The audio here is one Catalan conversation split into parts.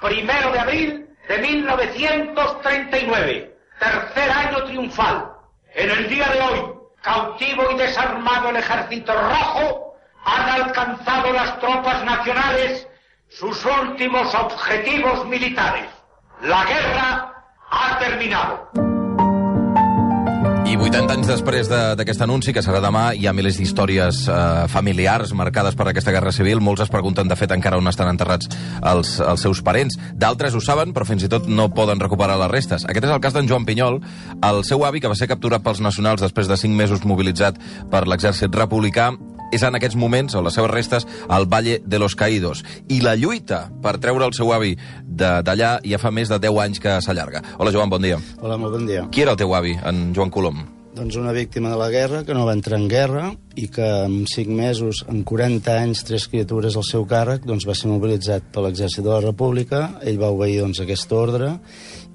1 de abril de 1939, tercer año triunfal. En el día de hoy, cautivo y desarmado el Ejército Rojo, han alcanzado las tropas nacionales sus últimos objetivos militares. La guerra ha terminado. I 80 anys després d'aquest anunci, que serà demà, hi ha milers d'històries familiars marcades per aquesta guerra civil. Molts es pregunten, de fet, encara on estan enterrats els seus parents. D'altres ho saben, però fins i tot no poden recuperar les restes. Aquest és el cas d'en Joan Pinyol, el seu avi, que va ser capturat pels nacionals després de 5 mesos mobilitzat per l'exèrcit republicà. És en aquests moments, o les seves restes, al Valle de los Caídos. I la lluita per treure el seu avi d'allà ja fa més de 10 anys que s'allarga. Hola, Joan, bon dia. Hola, molt bon dia. Qui era el teu avi, en Joan Colom? Doncs una víctima de la guerra, que no va entrar en guerra i que en 5 mesos, en 40 anys, 3 criatures al seu càrrec, doncs va ser mobilitzat per l'exèrcit de la República. Ell va obeir doncs, aquest ordre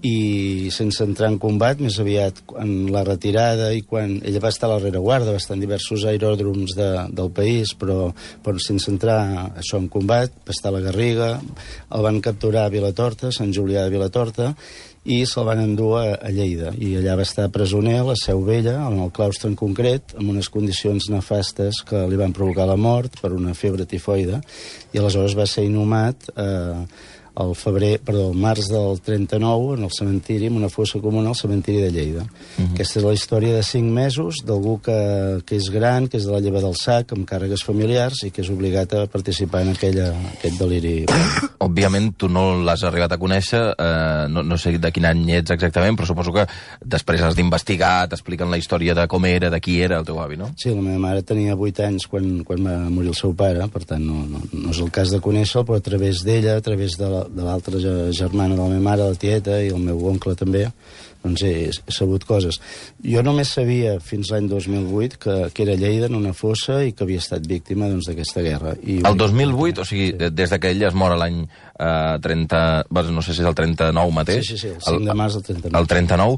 i sense entrar en combat, més aviat en la retirada i quan ell va estar a la rereguarda, va estar en diversos aeròdroms del país, però sense entrar això en combat, va estar a la Garriga, el van capturar a Vilatorta, Sant Julià de Vilatorta, i se'l van endur a Lleida. I allà va estar presoner a la Seu Vella, en el claustre en concret, amb unes condicions nefastes que li van provocar la mort per una febre tifoide, i aleshores va ser inhumat al març del 39 en el cementiri, en una fossa comuna al cementiri de Lleida. Aquesta és la història de 5 mesos d'algú que és gran, que és de la lleva del sac, amb càrregues familiars i que és obligat a participar en aquest deliri. Òbviament, tu no l'has arribat a conèixer, no sé de quin any ets exactament, però suposo que després has d'investigar, t'expliquen la història de com era, de qui era el teu avi, no? Sí, la meva mare tenia 8 anys quan va morir el seu pare, per tant no és el cas de conèixer-lo, però a través d'ella, a través de l'altra germana de la meva mare, la tieta, i el meu oncle també, doncs he sabut coses. Jo només sabia fins l'any 2008 que era a Lleida en una fossa i que havia estat víctima d'aquesta guerra. El 2008, o sigui, des que ell es mor l'any 30... no sé si és el 39 mateix. Sí, el 5 de març del 39. El 39,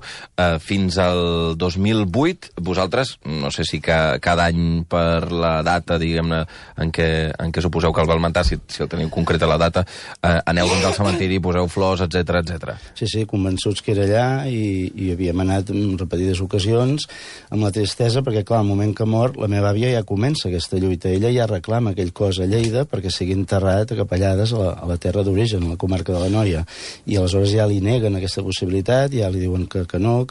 fins al 2008, vosaltres, no sé si cada any per la data, diguem-ne, en què suposeu que el val matar, si el teniu concreta la data, aneu al cementiri, poseu flors, etc. Sí, convençuts que era allà i havíem anat en repetides ocasions amb la tristesa, perquè clar, al moment que mor la meva àvia ja comença aquesta lluita, ella ja reclama aquell cos a Lleida perquè sigui enterrat a Capellades, a la terra d'origen, a la comarca de l'Anoia, i aleshores ja li neguen aquesta possibilitat, ja li diuen que no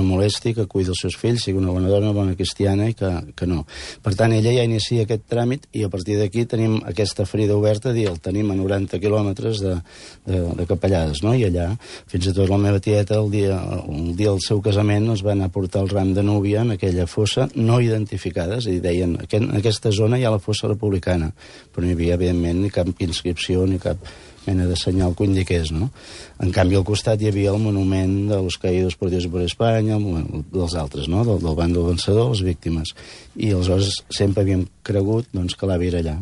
molesti, que cuidi els seus fills, sigui una bona dona, una bona cristiana, i que no. Per tant, ella ja inicia aquest tràmit i a partir d'aquí tenim aquesta ferida oberta, el tenim a 90 quilòmetres de Capellades, no? I allà, fins i tot la meva tieta, el dia del seu casament, es van aportar el ram de núvia en aquella fossa no identificada, és a dir, deien, en aquesta zona hi ha la fossa republicana, però no hi havia, evidentment, ni cap inscripció, ni cap mena de senyal que ho indiqués, no? En canvi, al costat hi havia el monument de los caídos por Dios y por España, dels altres, no? Del bàndol vencedor, les víctimes. I aleshores sempre havíem cregut que l'avi era allà.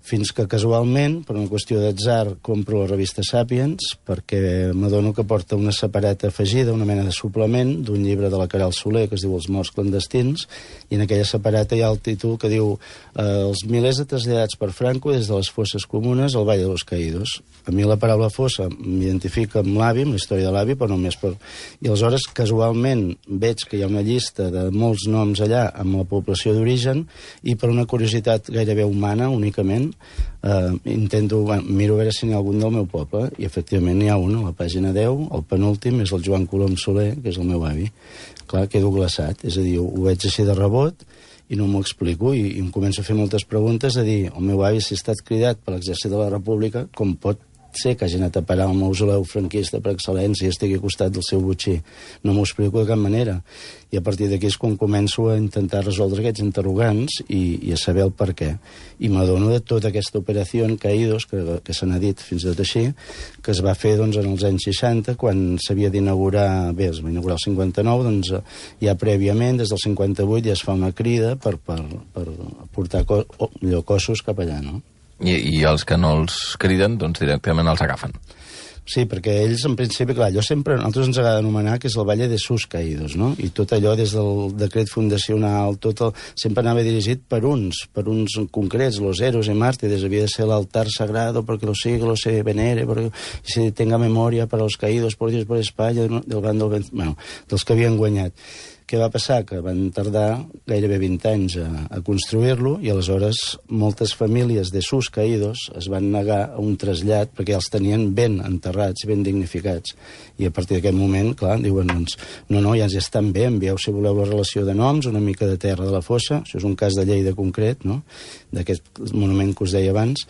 Fins que casualment, per una qüestió d'atzar, compro la revista Sàpiens, perquè m'adono que porta una separata afegida, una mena de suplement d'un llibre de la Caral Soler que es diu Els morts clandestins, i en aquella separata hi ha el títol que diu els milers de traslladats per Franco des de les fosses comunes al Valle de los Caídos. A mi la paraula fossa m'identifica amb l'avi, amb la història de l'avi, però només per... I aleshores, casualment, veig que hi ha una llista de molts noms allà amb la població d'origen i per una curiositat gairebé humana, únicament, miro a veure si n'hi ha algun del meu poble, i efectivament n'hi ha un, a la pàgina 10, el penúltim és el Joan Colom Soler, que és el meu avi. Clar, quedo glaçat, és a dir, ho veig així de rebot i no m'ho explico, i em començo a fer moltes preguntes, a dir, el meu avi, si ha estat cridat per l'exèrcit de la República, com pot ser que hagi anat a parar al mausoleu franquista per excel·lència i estigui al costat del seu botxí? No m'ho explico de cap manera. I a partir d'aquí és quan començo a intentar resoldre aquests interrogants i a saber el per què. I m'adono de tota aquesta operació en Caídos, que se n'ha dit fins i tot així, que es va fer en els anys 60, quan s'havia d'inaugurar, es va inaugurar el 59, ja prèviament, des del 58, ja es fa una crida per portar cossos cap allà, no? I els que no els criden, directament els agafen. Sí, perquè ells, en principi, clar, nosaltres ens agrada anomenar que és el Valle de sus Caídos, no? I tot allò, des del decret fundacional, sempre anava dirigit per uns concrets, los héroes y mártires, havia de ser l'altar sagrado perquè los siglos se venere, perquè se tenga memoria para los caídos por Dios, por España, del bando, bueno, dels que havien guanyat. Què va passar? Que van tardar gairebé 20 anys a construir-lo i aleshores moltes famílies de sus caídos es van negar a un trasllat perquè els tenien ben enterrats, ben dignificats. I a partir d'aquest moment, clar, diuen, doncs, no, ja estan bé, envieu, si voleu, la relació de noms, una mica de terra de la fossa, això és un cas de Lleida concret, no?, d'aquest monument que us deia abans,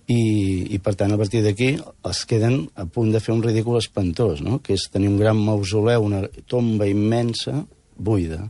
i per tant, a partir d'aquí, es queden a punt de fer un ridícul espantós, no?, que és tenir un gran mausoleu, una tomba immensa, buida,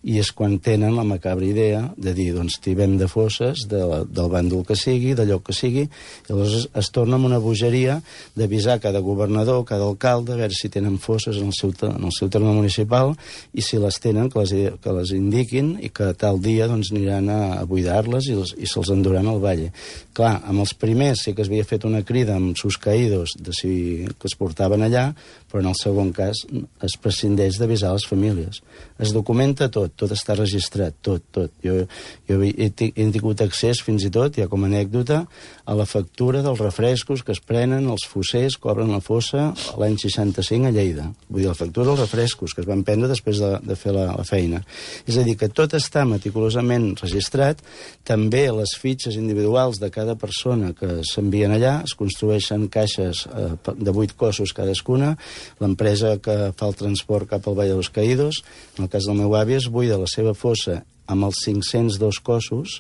i és quan tenen la macabra idea de dir, doncs, tibem de fosses del bàndol que sigui, d'allò que sigui, i llavors es torna amb una bogeria d'avisar cada governador, cada alcalde, a veure si tenen fosses en el seu terme municipal, i si les tenen, que les indiquin, i que tal dia doncs, aniran a buidar-les i se'ls enduran al valle. Clar, amb els primers sí que es havia fet una crida amb sus caídos que es portaven allà, però en el segon cas es prescindeix d'avisar les famílies. Es documenta tot està registrat, tot. Jo he tingut accés fins i tot, ja com a anècdota, a la factura dels refrescos que es prenen els fossers que obren la fossa l'any 65 a Lleida. Vull dir, la factura dels refrescos que es van prendre després de fer la feina. És a dir, que tot està meticulosament registrat, també les fitxes individuals de cada persona que s'envien allà, es construeixen caixes de 8 cossos cadascuna, l'empresa que fa el transport cap al Valle de los Caídos, en el cas del meu avi, es buida la seva fossa amb els 502 cossos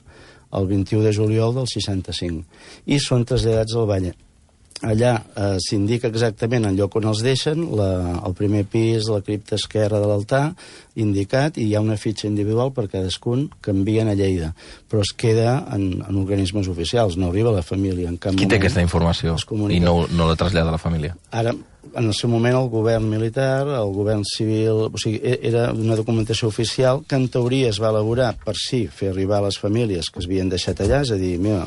el 21 de juliol del 65 i són traslladats al Valle. Allà s'indica exactament el lloc on els deixen, el primer pis, la cripta esquerra de l'altar, indicat, i hi ha una fitxa individual per cadascun que envien a Lleida, però es queda en organismes oficials, no arriba a la família. En cap Qui té aquesta informació i no la trasllada a la família? Ara, en el seu moment, el govern militar, el govern civil... O sigui, era una documentació oficial que, en teoria, es va elaborar per fer arribar a les famílies que es havien deixat allà, és a dir, mira,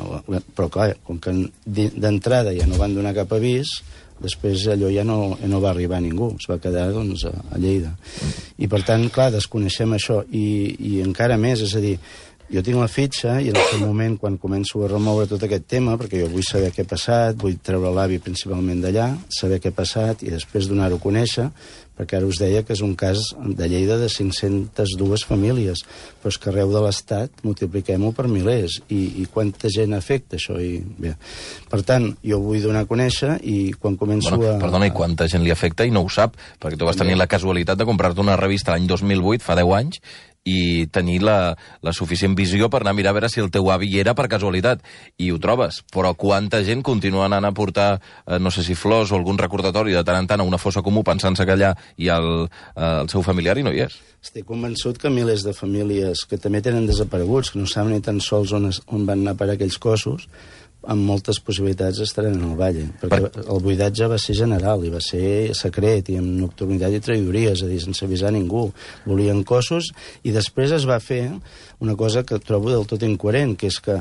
però clar, com que d'entrada ja no van donar cap avís, després allò ja no va arribar a ningú, es va quedar, doncs, a Lleida. I, per tant, clar, desconeixem això. I encara més, és a dir, jo tinc la fitxa i en aquell moment, quan començo a remoure tot aquest tema, perquè jo vull saber què ha passat, vull treure l'avi principalment d'allà, saber què ha passat i després donar-ho a conèixer, perquè ara us deia que és un cas de Lleida de 502 famílies, però és que arreu de l'Estat multipliquem-ho per milers, i quanta gent afecta això. Bé, per tant, jo vull donar a conèixer i quan començo Perdona, i quanta gent li afecta i no ho sap, perquè tu vas tenir la casualitat de comprar-te una revista l'any 2008, fa 10 anys, i tenir la suficient visió per anar a mirar a veure si el teu avi hi era per casualitat. I ho trobes. Però quanta gent continua anant a portar, no sé si flors o algun recordatori de tant en tant a una fossa comú pensant-se que allà hi ha el seu familiar i no hi és. Estic convençut que milers de famílies que també tenen desapareguts, que no saben ni tan sols on van anar per aquells cossos, amb moltes possibilitats estaran en el Valle, perquè el buidatge va ser general i va ser secret i amb nocturnitat i traïdoria, és a dir, sense avisar ningú. Volien cossos i després es va fer una cosa que trobo del tot incoherent, que és que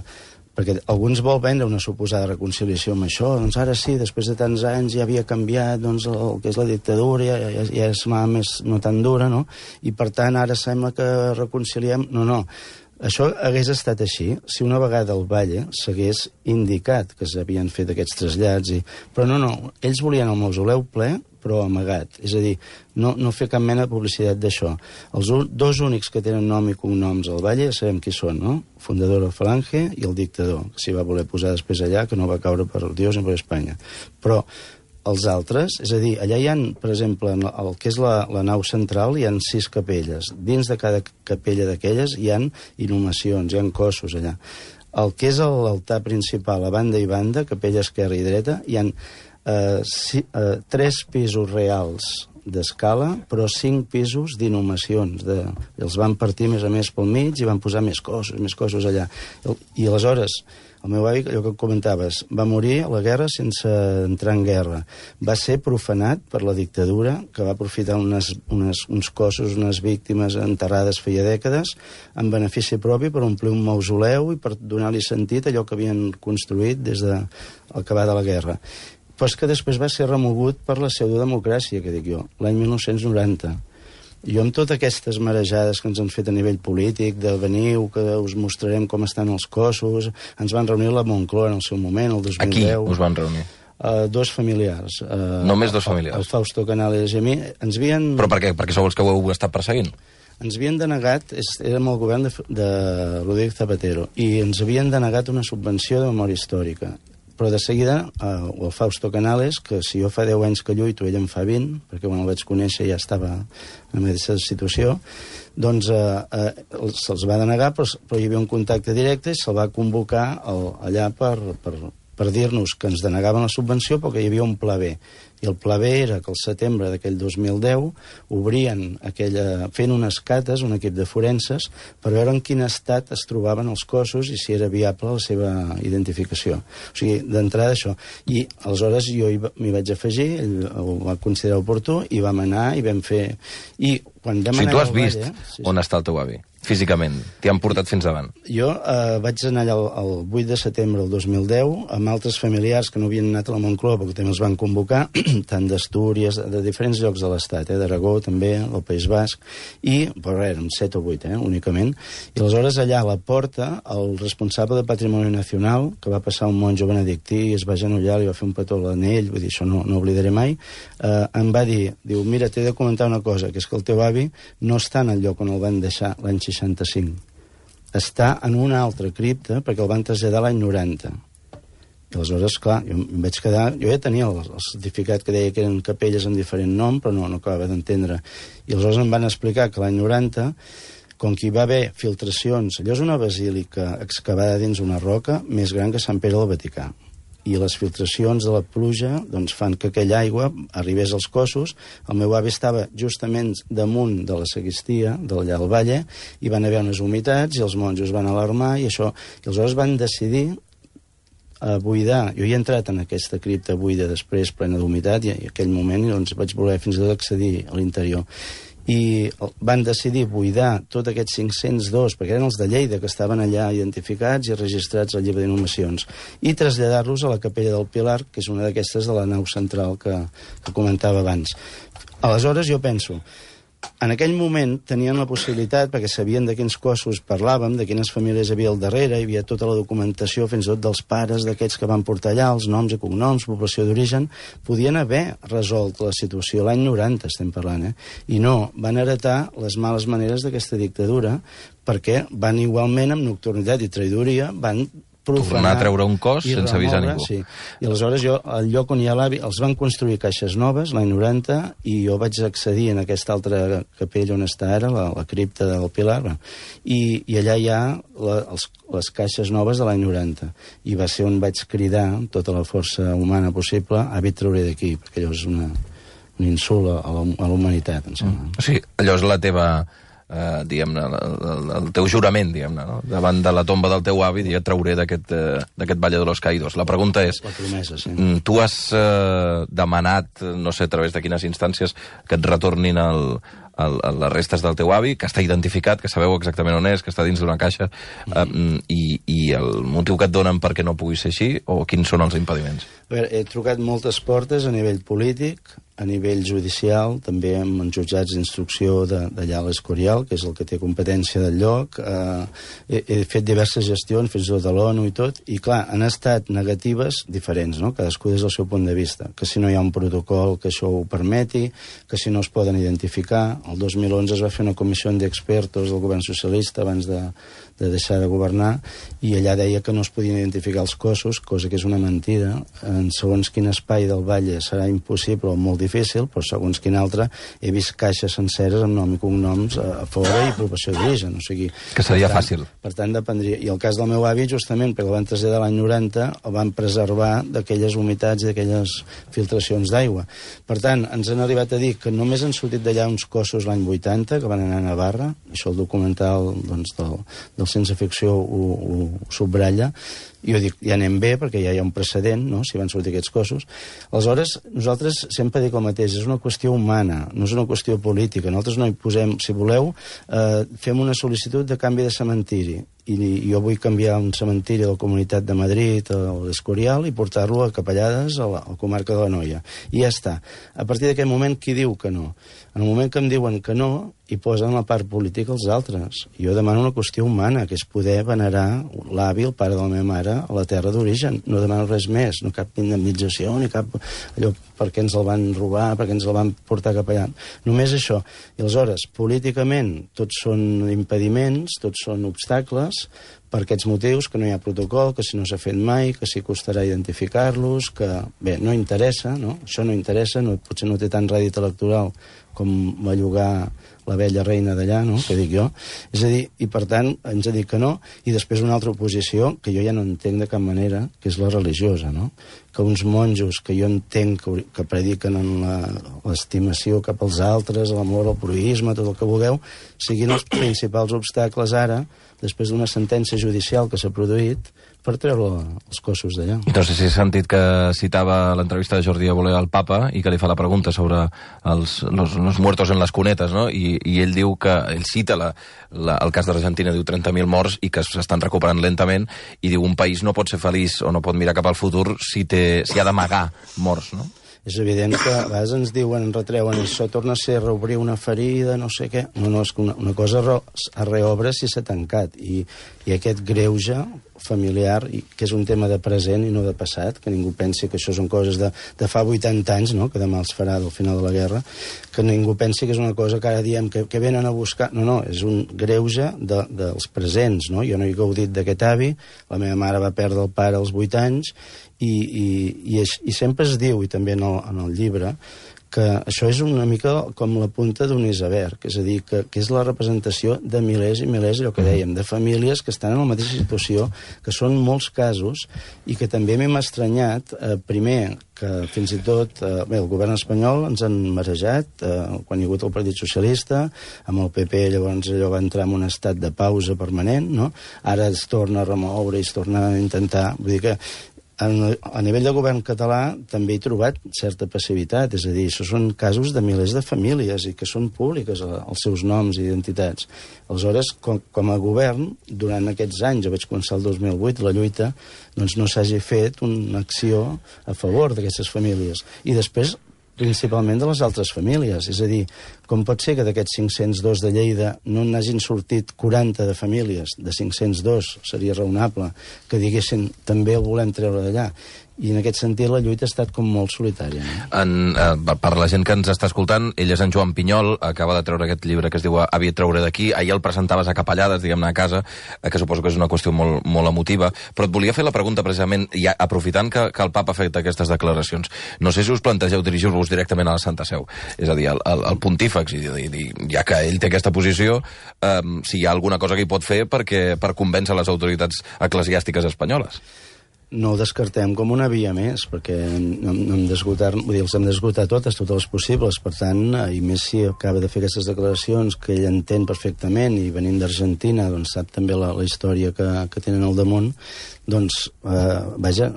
perquè alguns vol vendre una suposada reconciliació amb això, doncs ara sí, després de tants anys ja havia canviat doncs, el que és la dictadura, ja és més no tan dura, no? I per tant ara sembla que reconciliem... No. Això hagués estat així si una vegada el Valle s'hagués indicat que s'havien fet aquests trasllats. Però no, ells volien el mausoleu ple, però amagat. És a dir, no fer cap mena de publicitat d'això. Els dos únics que tenen nom i cognoms al Valle ja sabem qui són, no? Fundador de Falange i el dictador, que s'hi va voler posar després allà, que no va caure per Dios ni per Espanya. Però els altres, és a dir, allà hi ha, per exemple, el que és la nau central, hi ha 6 capelles. Dins de cada capella d'aquelles hi ha inhumacions, hi ha cossos allà. El que és l'altar principal, a banda i banda, capella esquerra i dreta, hi ha 3 pisos reals d'escala, però 5 pisos d'inhumacions. Els van partir més a més pel mig i van posar més cossos allà. I aleshores... El meu avi, allò que comentaves, va morir a la guerra sense entrar en guerra. Va ser profanat per la dictadura, que va aprofitar uns cossos, unes víctimes enterrades feia dècades, en benefici propi per omplir un mausoleu i per donar-li sentit a allò que havien construït des de l'acabar de la guerra. Però és que després va ser remogut per la pseudodemocràcia, que dic jo, l'any 1990. Jo amb totes aquestes marejades que ens han fet a nivell polític, de veniu, que us mostrarem com estan els cossos, ens van reunir a la Moncloa en el seu moment, el 2010. Aquí us van reunir? Dos familiars. Només dos familiars? El Fausto Canales i a mi. Ens havien... Però per què? Perquè sou els que ho heu estat perseguint? Ens havien denegat, érem el govern de Rodríguez Zapatero, i ens havien denegat una subvenció de memòria històrica. Però de seguida, el Fausto Canales, que si jo fa 10 anys que lluito, ell en fa 20, perquè quan el vaig conèixer ja estava en la mateixa situació, doncs se'ls va denegar, però hi havia un contacte directe i se'l va convocar allà per dir-nos que ens denegaven la subvenció perquè hi havia un pla B. I el pla B era que al setembre d'aquell 2010 obrien fent unes cates, un equip de forenses, per veure en quin estat es trobaven els cossos i si era viable la seva identificació. O sigui, d'entrada això. I aleshores jo m'hi vaig afegir, ell ho va considerar oportú, i vam anar i vam fer... I quan vam anar tu has vist on està el teu avi? Físicament? T'hi han portat fins davant? Jo vaig anar allà el 8 de setembre del 2010 amb altres familiars que no havien anat a la Moncloa perquè també els van convocar, tant d'Astúries, de diferents llocs de l'Estat, d'Aragó també, del País Basc, però érem 7 o 8, únicament. I aleshores allà a la porta, el responsable de Patrimoni Nacional, que va passar un monjo benedictí i es va agenollar, li va fer un petó a l'anell, vull dir, això no oblidaré mai, em va dir, mira, t'he de comentar una cosa, que és que el teu avi no està en el lloc on el van deixar l'any 65. Està en una altra cripta perquè el van traslladar l'any 90. I aleshores, clar, jo em vaig quedar... Jo ja tenia el certificat que deia que eren capelles amb diferent nom, però no acabava d'entendre. I aleshores em van explicar que l'any 90, com que hi va haver filtracions... Allò és una basílica excavada dins una roca més gran que Sant Pere del Vaticà. I les filtracions de la pluja doncs, fan que aquella aigua arribés als cossos. El meu avi estava justament damunt de la sagristia, d'allà al Valle, i van haver unes humitats i els monjos van alarmar i això. I aleshores van decidir buidar. Jo hi he entrat en aquesta cripta buida després, plena d'humitat, i en aquell moment doncs, vaig voler fins i tot accedir a l'interior. I van decidir buidar tots aquests 502, perquè eren els de Lleida, que estaven allà identificats i registrats al llibre d'inhumacions, i traslladar-los a la Capella del Pilar, que és una d'aquestes de la nau central que comentava abans. Aleshores jo penso, en aquell moment tenien la possibilitat, perquè sabien de quins cossos parlàvem, de quines famílies hi havia al darrere, hi havia tota la documentació, fins i tot dels pares d'aquests que van portar allà, els noms i cognoms, població d'origen, podien haver resolt la situació, l'any 90 estem parlant, i no, van heretar les males maneres d'aquesta dictadura, perquè van igualment amb nocturnitat i traïdoria, van tornar a treure un cos sense avisar ningú. Sí. I aleshores jo, al lloc on hi ha l'avi, els van construir caixes noves l'any 90 i jo vaig accedir en aquesta altra capella on està ara, la cripta del Pilar, i allà hi ha les caixes noves de l'any 90. I va ser on vaig cridar tota la força humana possible, avi, et trauré d'aquí, perquè allò és un insult a la humanitat, em sembla. O sigui, allò és la teva... diguem-ne, el teu jurament, diguem-ne, no? Davant de la tomba del teu avi, et trauré d'aquest Valle de los Caídos. La pregunta és... La promesa, sí. Tu has demanat, no sé a través de quines instàncies, que et retornin les restes del teu avi, que està identificat, que sabeu exactament on és, que està dins d'una caixa, i el motiu que et donen perquè no pugui ser així, o quins són els impediments? A veure, he trucat moltes portes a nivell polític, a nivell judicial, també amb els jutjats d'instrucció d'allà a l'Escorial, que és el que té competència del lloc. He fet diverses gestions, fins i tot a l'ONU i tot, i clar, han estat negatives diferents, no? Cadascú des del seu punt de vista. Que si no hi ha un protocol que això ho permeti, que si no es poden identificar. El 2011 es va fer una comissió d'expertos del govern socialista abans de deixar de governar, i allà deia que no es podien identificar els cossos, cosa que és una mentida. En segons quin espai del Valle serà impossible o molt difícil, però segons quin altre he vist caixes senceres amb nom i cognoms a fora i professió d'origen. O sigui, que seria fàcil. Per tant, dependria. I el cas del meu avi, justament, perquè el van traslladar l'any 90, el van preservar d'aquelles humitats i d'aquelles filtracions d'aigua. Per tant, ens han arribat a dir que només han sortit d'allà uns cossos l'any 80, que van anar a Navarra, això el documental doncs, del Sense Ficció ho subratlla, i jo dic, ja anem bé, perquè ja hi ha un precedent, no?, si van sortir aquests cossos. Aleshores, nosaltres sempre dic el mateix, és una qüestió humana, no és una qüestió política. Nosaltres no hi posem, si voleu, fem una sol·licitud de canvi de cementiri, i jo vull canviar un cementiri de la Comunitat de Madrid a l'Escorial i portar-lo a Capellades, a la comarca de l'Anoia. I ja està. A partir d'aquest moment, qui diu que no? En el moment que em diuen que no, hi posen la part política els altres. Jo demano una qüestió humana, que és poder venerar l'avi, el pare de la meva mare, a la terra d'origen. No demano res més, no cap indemnització, ni cap allò per què ens el van robar, per què ens el van portar cap allà. Només això. I aleshores, políticament, tots són impediments, tots són obstacles, per aquests motius, que no hi ha protocol, que si no s'ha fet mai, que si costarà identificar-los, que, bé, no interessa, no? Això no interessa, no, potser no té tant rèdit electoral com bellugar la vella reina d'allà, no?, que dic jo. És a dir, i per tant, ens ha dit que no, i després una altra oposició, que jo ja no entenc de cap manera, que és la religiosa, no?, que uns monjos que jo entenc que prediquen en l'estimació cap als altres, l'amor, el proïsme, tot el que vulgueu, siguin els principals obstacles ara, després d'una sentència judicial que s'ha produït, per treure els cossos d'allà. No sé si has sentit que citava l'entrevista de Jordi Évole al papa i que li fa la pregunta sobre los muertos en les cunetes, no? I ell diu que, ell cita el cas d'Argentina, diu 30.000 morts i que s'estan recuperant lentament, i diu un país no pot ser feliç o no pot mirar cap al futur si ha d'amagar morts, no? És evident que a vegades ens diuen, ens retreuen, això torna a ser reobrir una ferida, no sé què. No, és que una cosa es reobre si s'ha tancat. I aquest greuge familiar, que és un tema de present i no de passat, que ningú pensi que això són coses de fa 80 anys, no?, que demà els farà del final de la guerra, que ningú pensi que és una cosa que ara diem que venen a buscar. No, és un greuge dels presents, no? Jo no he gaudit d'aquest avi, la meva mare va perdre el pare als 8 anys, i sempre es diu, i també en el llibre, que això és una mica com la punta d'un iceberg, és a dir, que és la representació de milers i milers, allò que dèiem, de famílies que estan en la mateixa situació, que són molts casos, i que també m'hem estranyat, primer, que fins i tot el govern espanyol ens han marejat, quan hi ha hagut el Partit Socialista, amb el PP llavors allò va entrar en un estat de pausa permanent, no? Ara es torna a remoure i es torna a intentar, vull dir que a nivell de govern català també he trobat certa passivitat, és a dir, això són casos de milers de famílies i que són públiques els seus noms i identitats. Aleshores, com a govern, durant aquests anys, jo vaig començar el 2008, la lluita, doncs no s'hagi fet una acció a favor d'aquestes famílies. I després, principalment de les altres famílies. És a dir, com pot ser que d'aquests 502 de Lleida no n'hagin sortit 40 de famílies, de 502, seria raonable, que diguessin també el volem treure d'allà. I en aquest sentit la lluita ha estat com molt solitària. No? Per la gent que ens està escoltant, ell és en Joan Pinyol, acaba de treure aquest llibre que es diu Avi, treure d'aquí. Ahir el presentaves a Capellades, diguem-ne, a casa, que suposo que és una qüestió molt, molt emotiva. Però et volia fer la pregunta, precisament, ja aprofitant que el papa ha fet aquestes declaracions. No sé si us plantegeu dirigir-vos directament a la Santa Seu, és a dir, al pontífex, i ja que ell té aquesta posició, si hi ha alguna cosa que hi pot fer per convèncer les autoritats eclesiàstiques espanyoles. No ho descartem com una via més, perquè no hem d'esgotar, vull dir, els hem d'esgotar totes les possibles, per tant, i més si acaba de fer aquestes declaracions que ell entén perfectament, i venint d'Argentina, doncs sap també la història que tenen al damunt, doncs, vaja,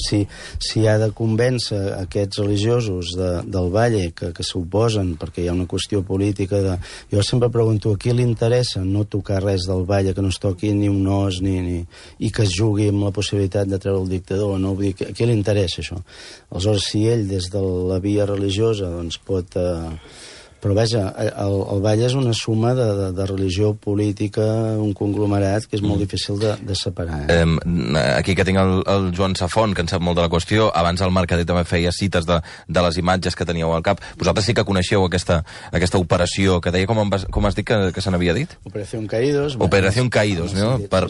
si ha de convèncer aquests religiosos del Valle que s'oposen, perquè hi ha una qüestió política de... Jo sempre pregunto, a qui li interessa no tocar res del Valle, que no es toqui ni un os, i que es jugui amb la possibilitat de treure el dictador, no? Vull dir, a qui li interessa això? Aleshores, si ell, des de la via religiosa, doncs pot... Però vaja, el Valle és una suma de religió política, un conglomerat que és molt difícil de separar. Aquí que tinc el Joan Safont, que en sap molt de la qüestió, abans el Mercader també feia cites de les imatges que teníeu al cap. Vosaltres sí que coneixeu aquesta operació que deia, com has dit que se n'havia dit? Operació Caídos. Operació Caídos, no? Per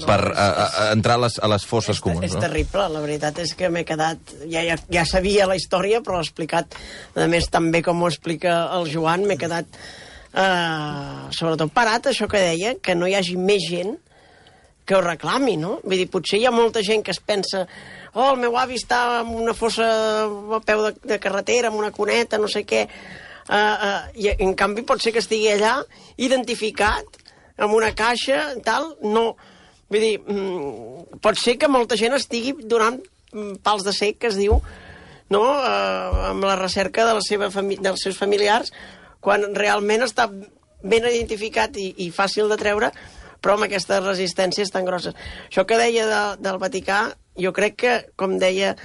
entrar a les fosses comuns. És terrible, la veritat és que m'he quedat... Ja sabia la història, però l'ha explicat, a més, també com ho explica el Joan, m'he quedat sobretot parat, això que deia, que no hi hagi més gent que ho reclami, no? Vull dir, potser hi ha molta gent que es pensa el meu avi està en una fossa a peu de carretera, en una cuneta, no sé què, i en canvi pot ser que estigui allà identificat amb una caixa i tal, no. Vull dir, pot ser que molta gent estigui donant pals de cec, que es diu, no? Amb la recerca dels seus familiars, quan realment està ben identificat i fàcil de treure, però amb aquestes resistències tan grosses. Això que deia del Vaticà, jo crec que, com deia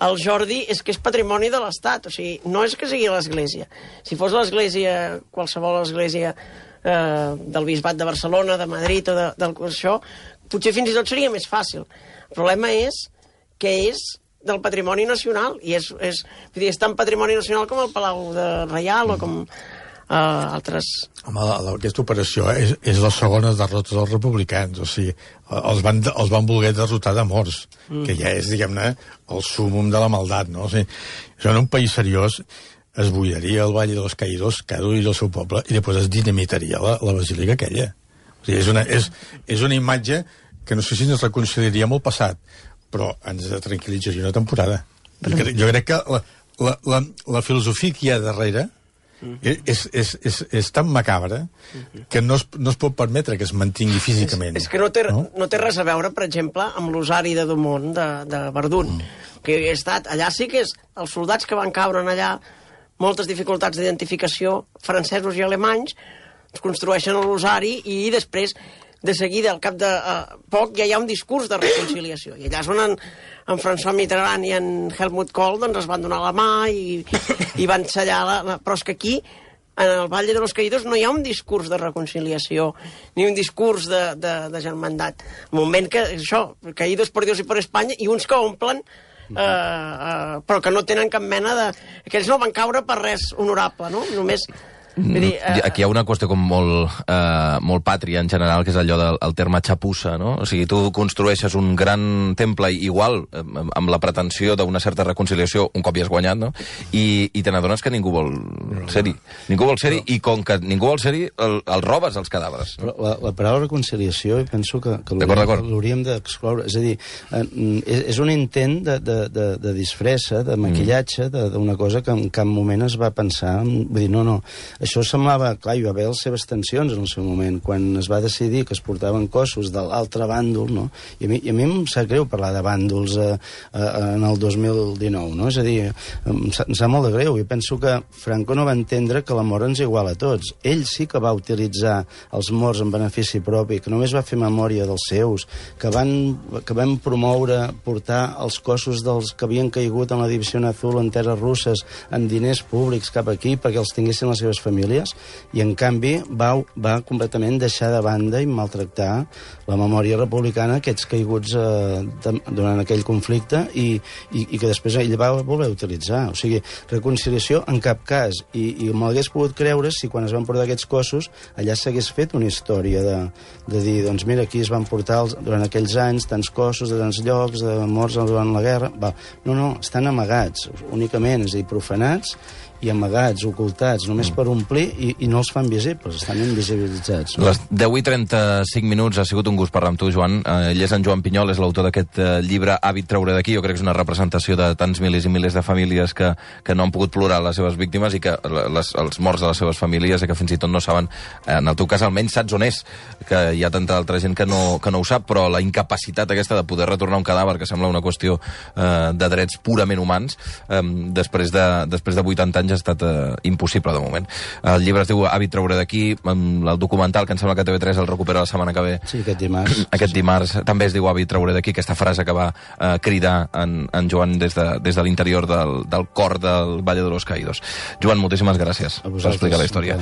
el Jordi, és que és patrimoni de l'Estat. O sigui, no és que sigui l'Església. Si fos l'Església, qualsevol església del Bisbat de Barcelona, de Madrid o això, potser fins i tot seria més fàcil. El problema és que és del patrimoni nacional, i és tan patrimoni nacional com el Palau Reial o com altres... Home, aquesta operació és la segona derrota dels republicans, o sigui, els van voler derrotar de morts, que ja és, diguem-ne, el súmum de la maldat, no? O sigui, això en un país seriós es buidaria el Valle de los Caídos, cada un del seu poble, i després es dinamitaria la basílica aquella. O sigui, és una imatge que no sé si ens reconciliaria amb el passat, però ens tranquil·litzaria una temporada. Jo crec que la filosofia que hi ha darrere és tan macabra que no es pot permetre que es mantingui físicament. És que no té res a veure, per exemple, amb l'osari de Dumont, de Verdun, que he estat allà. Sí que és els soldats que van caure allà, moltes dificultats d'identificació, francesos i alemanys, es construeixen l'osari i després, de seguida, al cap de poc, ja hi ha un discurs de reconciliació. I allà és on en François Mitterrand i en Helmut Kohl doncs, es van donar la mà i van sellar Però és que aquí, en el Valle de los Caídos, no hi ha un discurs de reconciliació, ni un discurs de germandat. Un moment que, això, Caídos por Dios y por España, i uns que omplen però que no tenen cap mena de... Aquells no van caure per res honorable, no? Només... Dir, aquí hi ha una qüestió com molt pàtria en general, que és allò del terme xapussa, no? O sigui, tu construeixes un gran temple igual, amb la pretensió d'una certa reconciliació, un cop hi has guanyat, no? I te n'adones que ningú vol ser-hi. Ningú vol ser-hi, i com que ningú vol ser-hi, el robes els cadàvers. Però la paraula reconciliació, penso que l'hauríem d'excloure. És a dir, és un intent de disfressa, de maquillatge, d'una cosa que en cap moment es va pensar. Vull dir, no. Això semblava... Clar, hi va haver les seves tensions en el seu moment, quan es va decidir que es portaven cossos de l'altre bàndol, no? I a mi em sap greu parlar de bàndols en el 2019, no? És a dir, em sap molt de greu. I penso que Franco no va entendre que la mort ens iguala a tots. Ell sí que va utilitzar els morts en benefici propi, que només va fer memòria dels seus, que van promoure portar els cossos dels que havien caigut en la Divisió Azul en terres russes amb diners públics cap aquí perquè els tinguessin les seves famílies, i en canvi va completament deixar de banda i maltractar la memòria republicana, aquests caiguts durant aquell conflicte, i que després ell va voler utilitzar. O sigui, reconciliació en cap cas, i m'hagués pogut creure si quan es van portar aquests cossos allà s'hagués fet una història de dir, doncs mira, aquí es van portar durant aquells anys tants cossos de tants llocs, de morts durant la guerra. No, estan amagats únicament, és a dir, profanats i amagats, ocultats, només per omplir, i no els fan visibles, estan invisibilitzats. No? Les 10:35 ha sigut un gust parlar amb tu, Joan. Ell és en Joan Pinyol, és l'autor d'aquest llibre Hàbit treure d'aquí. Jo crec que és una representació de tants milers i milers de famílies que no han pogut plorar les seves víctimes, i que els morts de les seves famílies, i que fins i tot no saben, en el teu cas almenys saps on és, que hi ha tanta altra gent que no ho sap, però la incapacitat aquesta de poder retornar un cadàver, que sembla una qüestió de drets purament humans, després de 80 anys ha estat impossible de moment. El llibre es diu Hàbit treure d'aquí, el documental, que em sembla que TV3 el recupera la setmana que ve. Sí, aquest dimarts. Aquest dimarts també es diu Hàbit treure d'aquí, aquesta frase que va cridar en Joan des de l'interior del cor del Valle de los Caídos. Joan, moltíssimes gràcies per explicar la història.